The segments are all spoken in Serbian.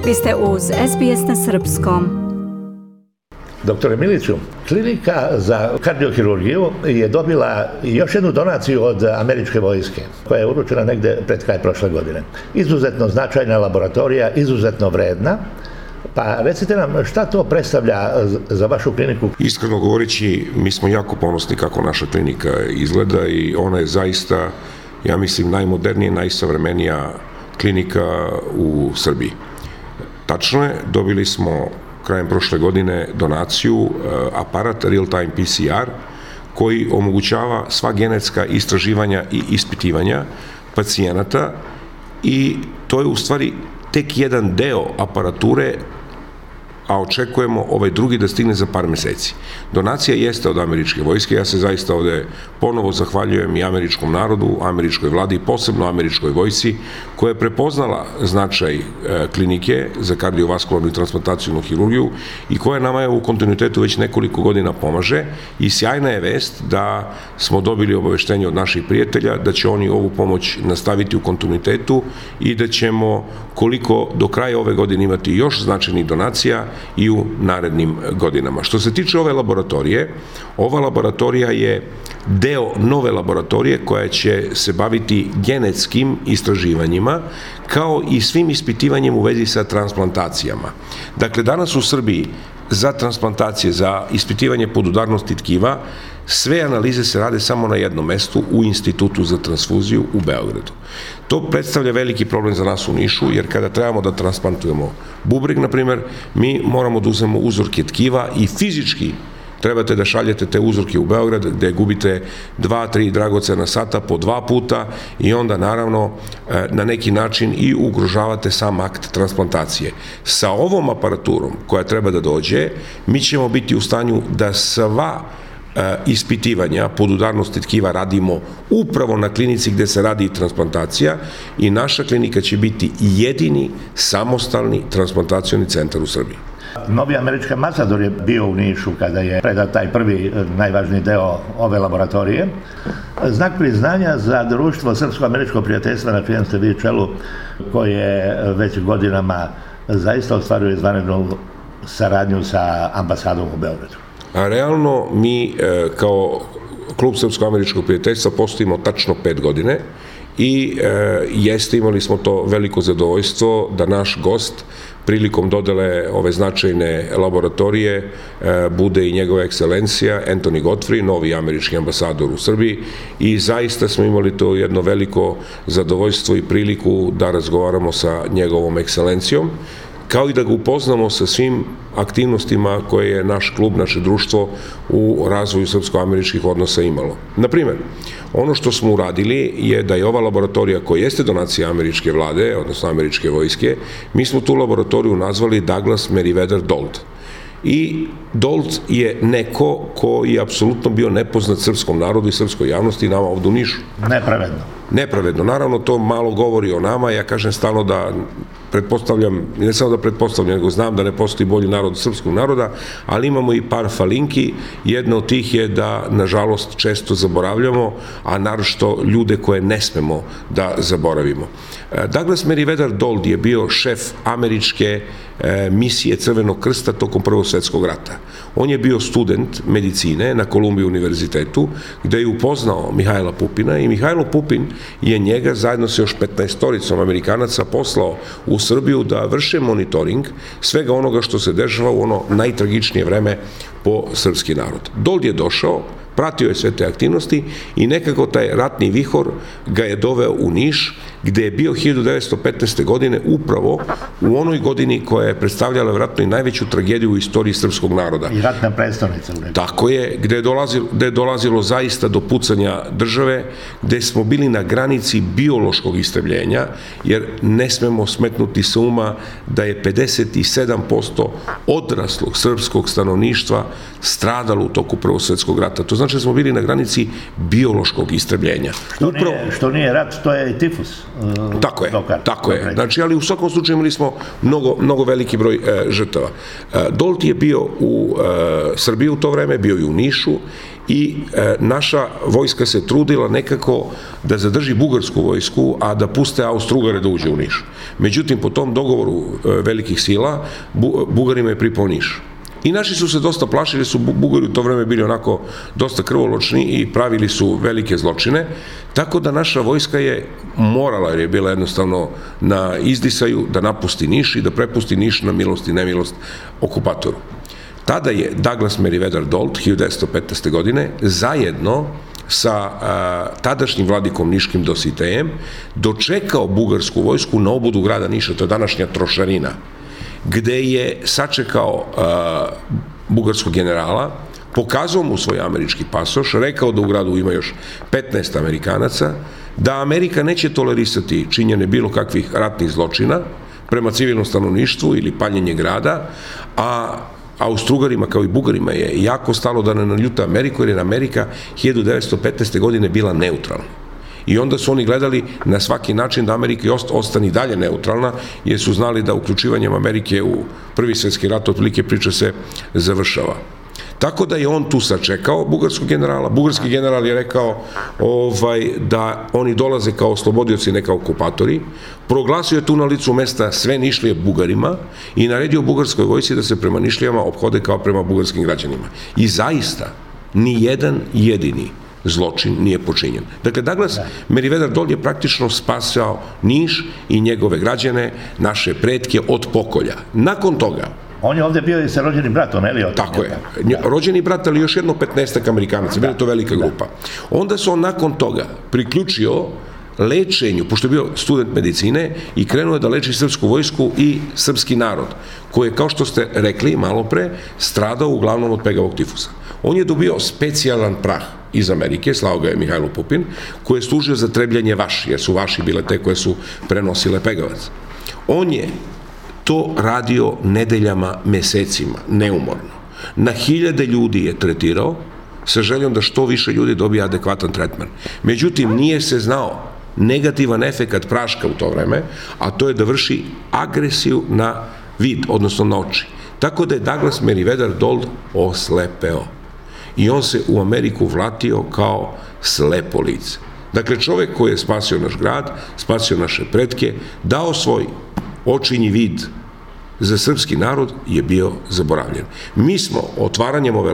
Vi ste uz SBS na srpskom. Doktore Miliću, klinika za kardiohirurgiju je dobila još jednu donaciju od američke vojske, koja je uručena negde pred kraj prošle godine. Izuzetno značajna laboratorija, izuzetno vredna. Pa recite nam, šta to predstavlja za vašu kliniku? Iskreno govoreći, mi smo jako ponosni kako naša klinika izgleda i ona je zaista, ja mislim, najmodernija, najsavremenija klinika u Srbiji. Tačno je, dobili smo krajem prošle godine donaciju aparat real-time PCR koji omogućava sva genetska istraživanja i ispitivanja pacijenata i to je u stvari tek jedan deo aparature, a očekujemo ovaj drugi da stigne za par meseci. Donacija jeste od američke vojske, ja se zaista ovde ponovo zahvaljujem i američkom narodu, američkoj vladi i posebno američkoj vojsci koja je prepoznala značaj klinike za kardiovaskularnu i transplantacijnu hirurgiju i koja nama u kontinuitetu već nekoliko godina pomaže i sjajna je vest da smo dobili obaveštenje od naših prijatelja da će oni ovu pomoć nastaviti u kontinuitetu i da ćemo koliko do kraja ove godine imati još značajnih donacija i u narednim godinama. Što se tiče ove laboratorije, ova laboratorija je deo nove laboratorije koja će se baviti genetskim istraživanjima kao i svim ispitivanjem u vezi sa transplantacijama. Dakle, danas u Srbiji za transplantacije, za ispitivanje podudarnosti tkiva, sve analize se rade samo na jednom mestu u Institutu za transfuziju u Beogradu. To predstavlja veliki problem za nas u Nišu, jer kada trebamo da transplantujemo bubreg, na primer, mi moramo da uzmemo uzorke tkiva i fizički trebate da šaljete te uzorke u Beograd gde gubite 2-3 dragocena sata po 2 puta i onda naravno na neki način i ugrožavate sam akt transplantacije. Sa ovom aparaturom koja treba da dođe, mi ćemo biti u stanju da sva ispitivanja podudarnosti tkiva radimo upravo na klinici gde se radi transplantacija i naša klinika će biti jedini samostalni transplantacioni centar u Srbiji. Novi američki ambasador je bio u Nišu kada je predat taj prvi najvažniji deo ove laboratorije. Znak priznanja za društvo Srpsko-američko prijateljstva na čijem ste vi čelu, koje već godinama zaista ostvaruje izvanrednu saradnju sa ambasadom u Beogradu. A realno mi kao klub Srpsko-američkog prijateljstva postojimo tačno 5 godine i imali smo to veliko zadovoljstvo da naš gost prilikom dodele ove značajne laboratorije bude i njegova ekscelencija Anthony Godfrey, novi američki ambasador u Srbiji i zaista smo imali to jedno veliko zadovoljstvo i priliku da razgovaramo sa njegovom ekscelencijom, kao i da ga upoznamo sa svim aktivnostima koje je naš klub, naše društvo u razvoju srpsko-američkih odnosa imalo. Naprimer, ono što smo uradili je da je ova laboratorija koja jeste donacija američke vlade, odnosno američke vojske, mi smo tu laboratoriju nazvali Douglas Meriwether Dold. I Dold je neko ko je apsolutno bio nepoznat srpskom narodu i srpskoj javnosti i nama ovde u Nišu. Nepravedno. Naravno, to malo govori o nama. Ja kažem stalno da pretpostavljam, ne samo da pretpostavljam, nego znam da ne postoji bolji narod od srpskog naroda, ali imamo i par falinki. Jedna od tih je da, nažalost, često zaboravljamo, a naročito ljude koje ne smemo da zaboravimo. Douglas Meriwether Dold je bio šef američke misije Crvenog krsta tokom Prvog svetskog rata. On je bio student medicine na Kolumbiji univerzitetu, gde je upoznao Mihajla Pupina i Mihajlo Pupin je njega zajedno sa još 15-oricom Amerikanaca poslao u Srbiju da vrše monitoring svega onoga što se dešava u ono najtragičnije vreme po srpski narod. Dold je došao, pratio je sve te aktivnosti i nekako taj ratni vihor ga je doveo u Niš, gde je bio 1915. godine upravo u onoj godini koja je predstavljala vjerojatno i najveću tragediju u istoriji srpskog naroda. I ratna predstavnica. Tako je, gde je dolazilo zaista do pucanja države, gde smo bili na granici biološkog istrebljenja, jer ne smemo smetnuti sa uma da je 57% odraslog srpskog stanovništva stradalo u toku Prvog svetskog rata. To znači znači da smo bili na granici biološkog istrebljenja. Što nije rat, to je i tifus. Tako je. Znači, ali u svakom slučaju imali smo mnogo veliki broj žrtava. Dolt je bio u Srbiji u to vreme, bio i u Nišu i naša vojska se trudila nekako da zadrži bugarsku vojsku, a da puste Austro-Ugare da uđe u Niš. Međutim, po tom dogovoru velikih sila, Bugarima je pripao Niš. I naši su se dosta plašili, su Bugari u to vreme bili onako dosta krvoločni i pravili su velike zločine, tako da naša vojska je morala, jer je bila jednostavno na izdisaju, da napusti Niš i da prepusti Niš na milost i nemilost okupatoru. Tada je Douglas Meriwether Dolt 1915. godine zajedno sa tadašnjim vladikom niškim Dositejem dočekao bugarsku vojsku na obodu grada Niša, to je današnja Trošarina, gde je sačekao bugarskog generala, pokazao mu svoj američki pasoš, rekao da u gradu ima još 15 Amerikanaca, da Amerika neće tolerisati činjenje bilo kakvih ratnih zločina prema civilnom stanovništvu ili paljenje grada, a Austro-Ugarima kao i Bugarima je jako stalo da ne naljuta Ameriku, jer je Amerika 1915. godine bila neutralna. I onda su oni gledali na svaki način da Amerika ostane dalje neutralna, jer su znali da uključivanjem Amerike u Prvi svjetski rat otprilike priča se završava. Tako da je on tu sačekao bugarskog generala. Bugarski general je rekao da oni dolaze kao oslobodioci, ne kao okupatori. Proglasio je tu na licu mesta sve Nišlije Bugarima i naredio bugarskoj vojsci da se prema Nišlijama ophode kao prema bugarskim građanima. I zaista, ni jedan jedini zločin nije počinjen. Dakle, Douglas Meriwether Dolt je praktično spasao Niš i njegove građane, naše pretke, od pokolja. Nakon toga, on je ovde bio i sa rođenim bratom, Eliotom. Tako je. Rođeni brat, ali još jedno 15 Amerikanaca. Bila je to velika grupa. Onda se on nakon toga priključio lečenju, pošto je bio student medicine, i krenuo je da leči srpsku vojsku i srpski narod, koji je, kao što ste rekli malo pre, stradao uglavnom od pegavog tifusa. On je dobio specijalan prah iz Amerike, slao ga je Mihajlo Pupin, koji je služio za trebljanje vaši, jer su vaši bile te koje su prenosile pegavac. On je to radio nedeljama, mesecima, neumorno. Na hiljade ljudi je tretirao, sa željom da što više ljudi dobije adekvatan tretman. Međutim, nije se znao negativan efekat praška u to vreme, a to je da vrši agresiju na vid, odnosno na oči. Tako da je Douglas Meriwether Dolt oslepeo. I on se u Ameriku vratio kao slepo lice. Dakle, čovek koji je spasio naš grad, spasio naše pretke, dao svoj očinji vid za srpski narod, je bio zaboravljen. Mi smo otvaranjem ove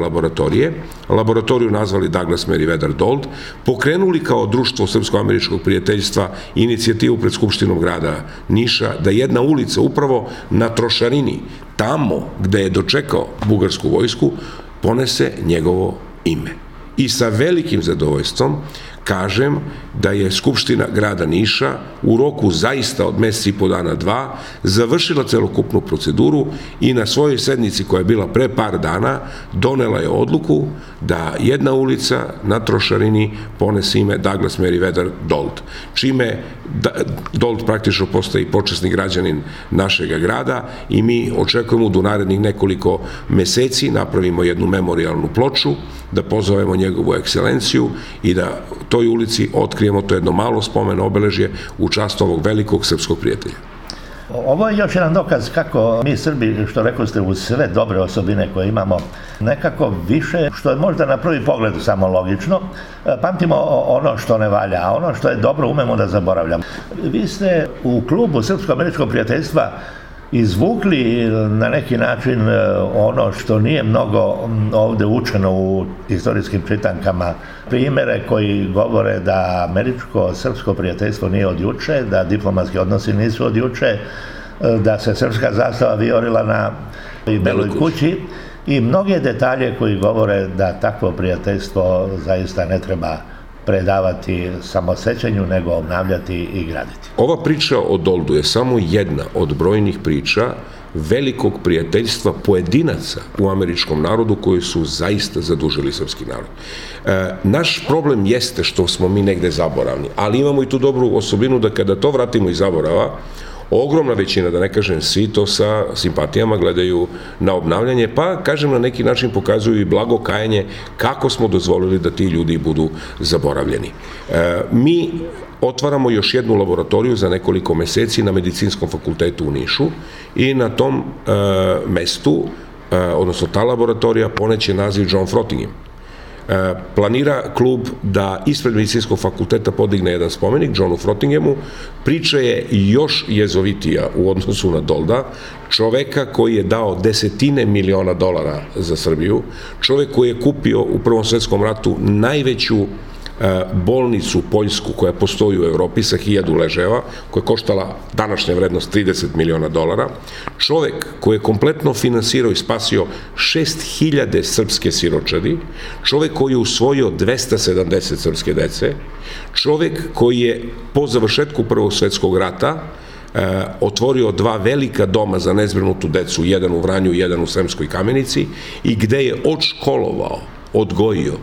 laboratoriju nazvali Douglas Meriwether Dolt, pokrenuli kao društvo Srpsko-američkog prijateljstva inicijativu pred Skupštinom grada Niša da jedna ulica upravo na Trošarini, tamo gde je dočekao bugarsku vojsku, ponese njegovo ime. I sa velikim zadovoljstvom kažem da je Skupština grada Niša u roku zaista od meseci i po dana, 2 završila celokupnu proceduru i na svojoj sednici, koja je bila pre par dana, donela je odluku da jedna ulica na Trošarini ponese ime Douglas Meriwether Dolt, čime Dolt praktično postaje počasni građanin našeg grada i mi očekujemo da u narednih nekoliko meseci napravimo jednu memorijalnu ploču, da pozovemo njegovu ekscelenciju i da toj ulici otkrijemo to jedno malo spomen obeležje u čast ovog velikog srpskog prijatelja. Ovo je još jedan dokaz kako mi Srbi, što rekli ste, uz sve dobre osobine koje imamo, nekako više, što je možda na prvi pogled samo logično, pamtimo ono što ne valja, a ono što je dobro umemo da zaboravljamo. Vi ste u klubu Srpsko-američkog prijateljstva izvukli na neki način ono što nije mnogo ovde učeno u istorijskim čitankama, primere koji govore da američko-srpsko prijateljstvo nije od juče, da diplomatski odnosi nisu od juče, da se srpska zastava vijorila na Beloj kući i mnoge detalje koji govore da takvo prijateljstvo zaista ne treba predavati samosećanju, nego obnavljati i graditi. Ova priča o Doldu je samo jedna od brojnih priča velikog prijateljstva pojedinaca u američkom narodu koji su zaista zadužili srpski narod. Naš problem jeste što smo mi negde zaboravni, ali imamo i tu dobru osobinu da kada to vratimo iz zaborava, ogromna većina, da ne kažem svi, to sa simpatijama gledaju na obnavljanje, pa kažem na neki način pokazuju i blago kajanje kako smo dozvolili da ti ljudi budu zaboravljeni. Mi otvaramo još jednu laboratoriju za nekoliko meseci na Medicinskom fakultetu u Nišu i na tom mestu, odnosno ta laboratorija, poneće naziv John Frottingham. Planira klub da ispred Medicinskog fakulteta podigne jedan spomenik Johnu Frottinghamu. Priča je još jezovitija u odnosu na Dolda, čoveka koji je dao desetine miliona dolara za Srbiju, čovek koji je kupio u Prvom svetskom ratu najveću bolnicu poljsku koja postoji u Evropi sa 1000 leževa, koja je koštala današnja vrednost 30 miliona dolara, čovek koji je kompletno finansirao i spasio 6000 srpske siročadi, čovek koji je usvojio 270 srpske dece, čovek koji je po završetku Prvog svetskog rata otvorio 2 velika doma za nezbrinutu decu, jedan u Vranju i jedan u Sremskoj Kamenici, i gde je odškolovao, odgojio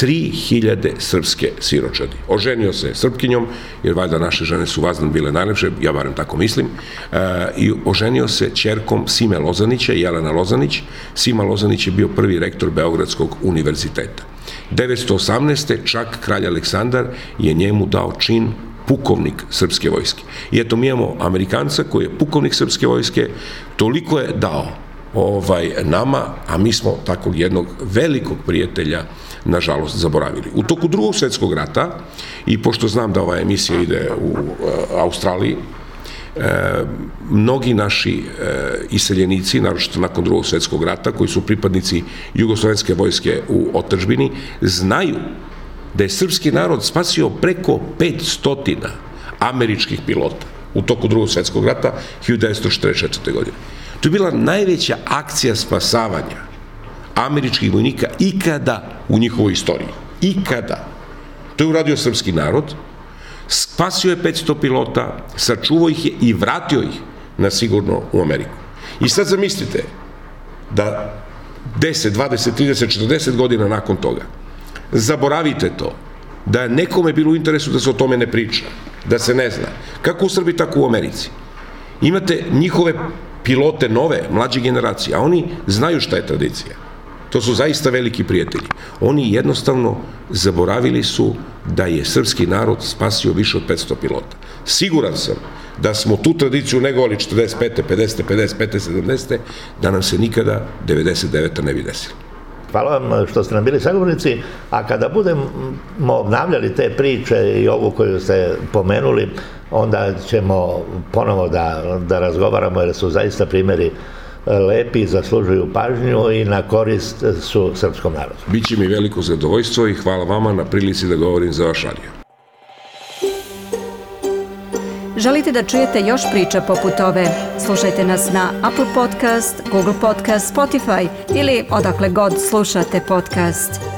3000 srpske siročadi. Oženio se Srpkinjom, jer valjda naše žene su vazdan bile najlepše, ja barem tako mislim, i oženio se ćerkom Sime Lozanića, Jelena Lozanić. Sima Lozanić je bio prvi rektor Beogradskog univerziteta. 918. čak kralj Aleksandar je njemu dao čin pukovnik srpske vojske. I eto, mi imamo Amerikanca koji je pukovnik srpske vojske, toliko je dao nama, a mi smo takvog jednog velikog prijatelja nažalost zaboravili. U toku Drugog svjetskog rata, i pošto znam da ova emisija ide u Australiji, mnogi naši iseljenici, naročito nakon Drugog svjetskog rata, koji su pripadnici jugoslovenske vojske u otadžbini, znaju da je srpski narod spasio preko 500 američkih pilota u toku Drugog svjetskog rata 1944. godine. To je bila najveća akcija spasavanja američkih vojnika ikada u njihovoj istoriji. Ikada. To je uradio srpski narod, spasio je 500 pilota, sačuvao ih je i vratio ih na sigurno u Ameriku. I sad zamislite da 10, 20, 30, 40 godina nakon toga zaboravite to, da je nekome bilo u interesu da se o tome ne priča, da se ne zna. Kako u Srbiji, tako u Americi. Imate njihove pilote nove, mlađe generacije, a oni znaju šta je tradicija. To su zaista veliki prijatelji. Oni jednostavno zaboravili su da je srpski narod spasio više od 500 pilota. Siguran sam da smo tu tradiciju negovali 45. 50. 55. 70. da nam se nikada 99. ne bi desilo. Hvala vam što ste nam bili sagovornici, a kada budemo obnavljali te priče i ovu koju ste pomenuli, onda ćemo ponovo da razgovaramo, jer su zaista primjeri lepi, zaslužuju pažnju i na korist su srpskom narodu. Biće mi veliko zadovoljstvo i hvala vama na prilici da govorim za vaš radio. Želite da čujete još priča poput ove? Slušajte nas na Apple Podcast, Google Podcast, Spotify ili odakle god slušate podcast.